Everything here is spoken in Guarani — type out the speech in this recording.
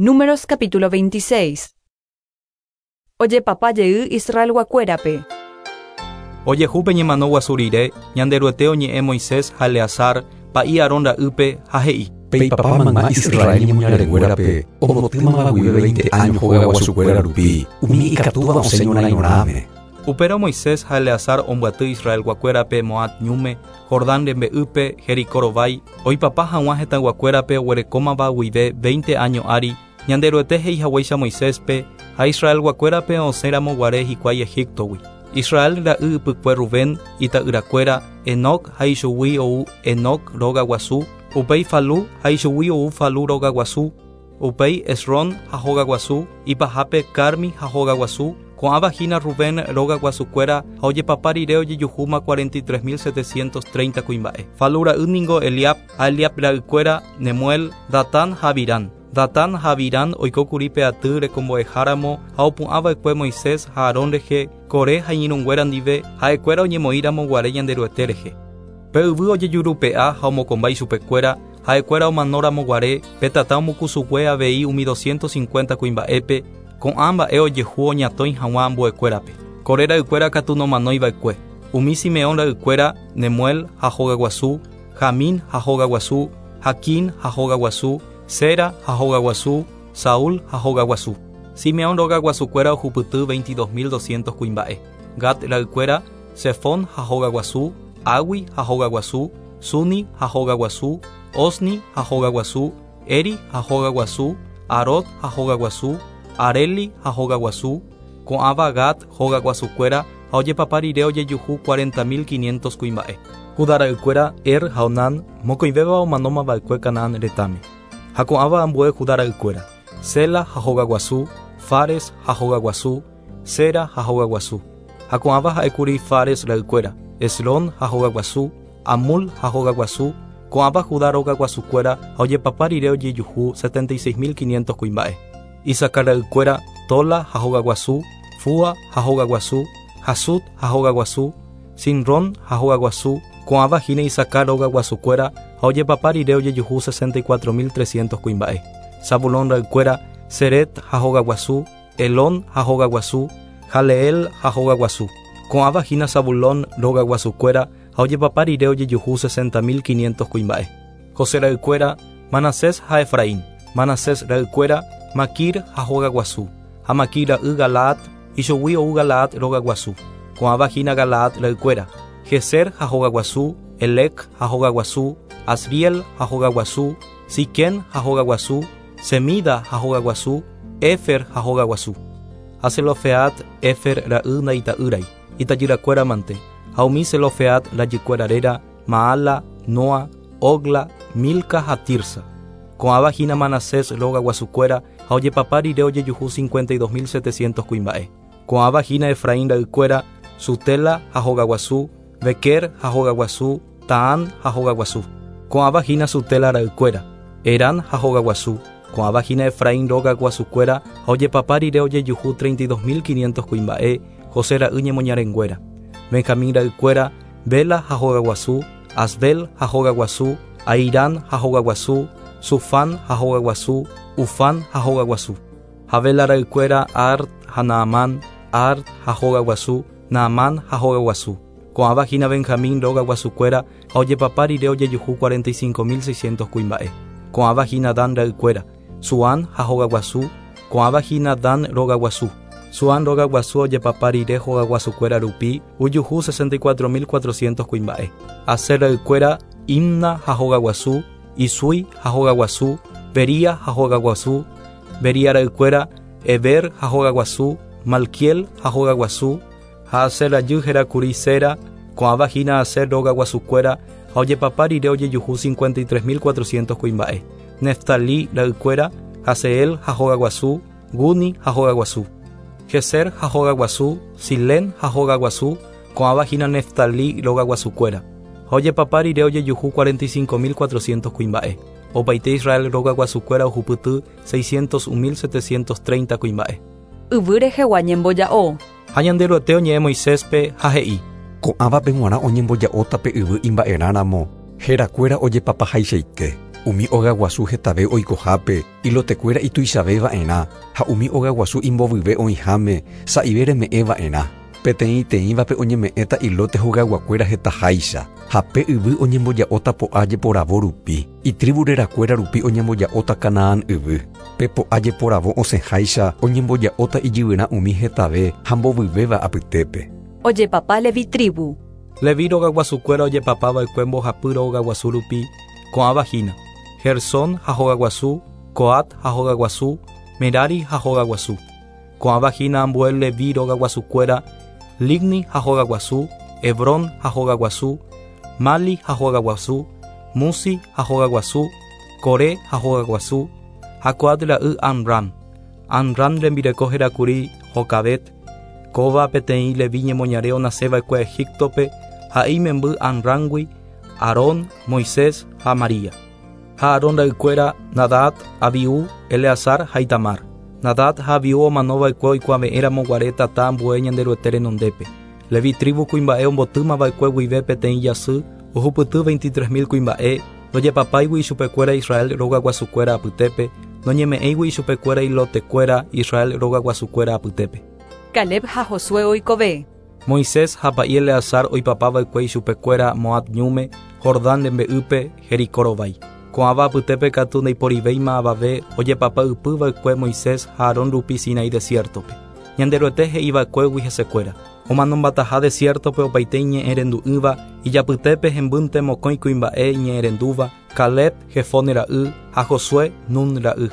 Números capítulo 26. Ojepapa jey Israelguakuérape. Ojehu pe ñemano guasu rire, Ñanderuete oñe'ẽ Moisés ha Eleazar, pa'i Aarón ra'ýpe, ha he'i. Peipapa mayma Israel ñemoñarenguérape, ombotýmava guive veinte áño hogaguasukuéra rupi, umi ikatúva osẽ ñorãirõrãme. Upérõ Moisés ha Eleazar ombyaty Israelguakuérape Moab ñúme, Jordán rembe'ýpe, Jericó rovái, oipapa hag̃ua hetãyguakuérape oguerekómava guive veinte áño ári, Ñanderuete he'i haguéicha Moiséspe ha Israelguakuérape osẽ ramo guare hikuái Egíptogui. Israel ra'y ypykue Rubén, ita'yrakuéra, Enoc ha ichugui ou Enoc róga guasu, upéi Falú ha ichugui ou Falú róga guasu, Upéi Hezrón ha hóga guasu, ipahápe Carmi ha hóga guasu, ko'ãva hína Rubén róga guasukuéra ha ojepapa rire ojejuhúma 43 730 kuimba'e. Falú ra'y ningo Eliab, ha Eliab ra'ykuéra, Nemuel, Datán ha Abirán. Datán ha Abirán oiko kuri pe aty rekombo'eháramo ha opu'ã va'ekue Moisés ha Aarón rehe, Coré ha iñirũnguéra ndive, ha'ekuéra oñemoĩramo guare Ñanderuete rehe. Pe yvy ojejurupe'a ha omokomba ichupekuéra, Ha'ekuéra omano ramo guare, pe tata omokusugue avei umi doscientos cincuenta kuimba'épe, ko'ã mba'e ojehu oñatõi hag̃ua ambuekuérape. Coré ra'ykuéra katu nomanói va'ekue. Umi Simeón ra'ykuéra, Nemuel ha hogaguasu, Jamín ha hogaguasu, Jaquín ha hogaguasu, Zera ha hogaguasu, Saúl ha hogaguasu. Simeón rogaguasukuéra ohupyty veintidós mil doscientos kuimba'e. Gad ra'ykuéra, Sefón ha hogaguasu, Agui ha hogaguasu, Suni ha hogaguasu, Ozni ha hogaguasu, Eri ha hogaguasu, Arod ha hogaguasu, Areli ha hogaguasu, ko'ãva Gad hogaguasukuéra ha ojepapa rire ojejuhu cuarenta mil quinientos kuimba'e. Judá ra'ykuéra Er ha Onán, mokõivéva omanóma va'ekue Canaán retãme. Ha ko'ãva ambue Judá ra'ykuéra, Sela ha hogaguasu, Fares ha hogaguasu, Zera ha hogaguasu. Ha ko'ãva ha'ékuri Fares ra'ykuéra, Hezrón ha hogaguasu, Amul ha hogaguasu, ko'ãva Judá rogaguasukuéra ha ojepapa rire ojejuhu 76 500 kuimba'e. Isacar ra'ykuéra, Tola ha hogaguasu, Fua ha hogaguasu, Jasub ha hogaguasu, Simrón ha hogaguasu, ko'ãva hína Isacar rogaguasukuéra ha ojepapa rire ojejuhu 64 300 kuimba'e. Zabulón ra'ykuéra, Sered ha hogaguasu, Elón ha hogaguasu, Jaleel ha hogaguasu. Ko'ãva hína Zabulón rogaguasukuéra ha ojepapa rire ojejuhu 60 500 kuimba'e. José ra'ykuéra, Manasés ha Efraín. Manasés ra'ykuéra, Maquir ha hogaguasu, ha Maquir ra'y Galaad, ichugui ou Galaad rogaguasu. Ko'ãva hína Galaad ra'ykuéra, Jezer ha hogaguasu, Helec ha hogaguasu, Asriel ha hogaguasu, Siquem ha hogaguasu, Semida ha hogaguasu, Héfer ha hogaguasu. Ha Zelofehad, Héfer ra'y ndaita'ýrai, itajyrakuéra mante, ha umi Zelofehad rajykuéra réra, Maala, Noa, Hogla, Milca ha Tirsa. Ko'ãva hína Manasés rogaguasukuéra ha ojepapa rire ojejuhu 52 700 kuimba'e. Ko'ãva hína Efraín ra'ykuéra, Sutela ha hogaguasu, Bequer ha hogaguasu, Taán ha hogaguasu. Ko'ãva hína Sutela ra'ykuéra, Erán ha hogaguasu. Ko'ãva hína Efraín róga guasukuéra ha ojepapa rire ojejuhu 32 500 kuimba'e, José ra'y ñemoñarenguéra. Benjamín ra'ykuéra, Bela ha hogaguasu, Asbel ha hogaguasu, Ahirán ha hogaguasu, Sufán ha hogaguasu, Ufán ha hogaguasu. Ha Bela ra'ykuéra Ard ha Naamán, Ard ha hogaguasu, Naamán ha hogaguasu. Ko'ãva hína Benjamín róga guasukuéra ha ojepapa rire ojejuhu 45 600 kuimba'e. Ko'ãva hína Dan ra'ykuéra, Suán ha hogaguasu, ko'ãva hína Dan róga guasu. Suán róga guasu ojepapa rire hogaguasukuéra rupi ojuhu 64 400 kuimba'e. Aser ra'ykuéra, Imna ha hogaguasu, Isui ha hogaguasu, Bería ha hogaguasu, Bería ra'ykuéra, Heber ha hogaguasu, Malquiel ha hogaguasu, ha Aser rajy hérakuri Sera, ko'ãva hína Aser róga guasukuéra ha ojepapa rire ojejuhu 53 400 kuimba'e. Neftalí ra'ykuéra, Jahzeel ha hogaguasu, Guni ha hogaguasu. Jezer ha hogaguasu, Silén ha hogaguasu, ko'ãva hína Neftalí róga guasukuéra. Ha ojepapa rire ojejuhu 45 400 kuimba'e. Opaite Israel róga guasukuéra ohupyty 601 730 kuimba'e. Yvy rehegua ñemboja'o. Ha Ñanderuete oñe'ẽ Moiséspe ha he'i. Ko'ãvape g̃uarã oñemboja'óta pe yvy imba'erãramo, herakuéra ojepapahaichaite. Umi ogaguasu hetave oikohápe, ilotekuéra ituichave va'erã, ha umi ogaguasu imbovyve oĩháme, sa'ive reme'ẽ va'erã. Peteĩteĩvape oñeme'ẽta ilóte hogayguakuéra hetaháicha, ha pe yvy oñemboja'óta po'a jeporavo rupi, itribu rerakuéra rupi oñemboja'óta Canaán yvy. Pe po'a jeporavo osẽháicha oñemboja'óta ijyvyrã umi hetave ha mbovyvéva apytépe. Ojepapa Levi tribu. Levi rogaguasukuéra ojepapava'ekue mbohapy rogaguasu rupi ko'ãva hína: Gersón ha hogaguasu, Coat ha hogaguasu, Merari ha hogaguasu. Ko'ãva hína ambue Levi rogaguasukuéra, Libni ha hogaguasu, Hebrón ha hogaguasu, Mali ha hogaguasu, Musi ha hogaguasu, Coré ha hogaguasu, ha Coat ra'y Amram. Amram rembireko hérakuri Jocabet, kóva peteĩ Levi ñemoñare onaseva'ekue Egiptope ha'e imemby Amramgui, Aarón, Moisés ha María. Ha Aarón ra'ykuéra Nadab, Abiú, Eleazar ha Itamar. Nadab ha Abiú omanova'ekue oikuave'ẽramo guare tata ambue Ñanderuete renondépe. Levi tribu kuimba'e ombotýmava'ekue guive peteĩ jasy ohupyty 23.000 kuimba'e ndojepapáigui ichupekuéra Israel rogaguasukuéra apytépe, noñeme'ẽigui ichupekuéra ilotekuéra Israel rogaguasukuéra apytépe. Caleb ha Josué oikove. Moisés ha pa'i Eleazar oipapava'ekue ichupekuéra Moab ñúme, Jordán rembe'ýpe, Jericó rovái. Ko'ãva apytépe katu ndaiporivéima avave ojepapa ypyva'ekue Moisés ha Aarón rupi Sinaí desiertope. Ñanderuete he'iva'ekuégui hesekuéra. Omanombataha desiertope opaite iñe'ẽrendu'ỹva, ijapytépe hembýnte mokõi kuimba'e iñe'ẽrendúva, Caleb, Jefone ra'y ha Josué, Nun ra'y.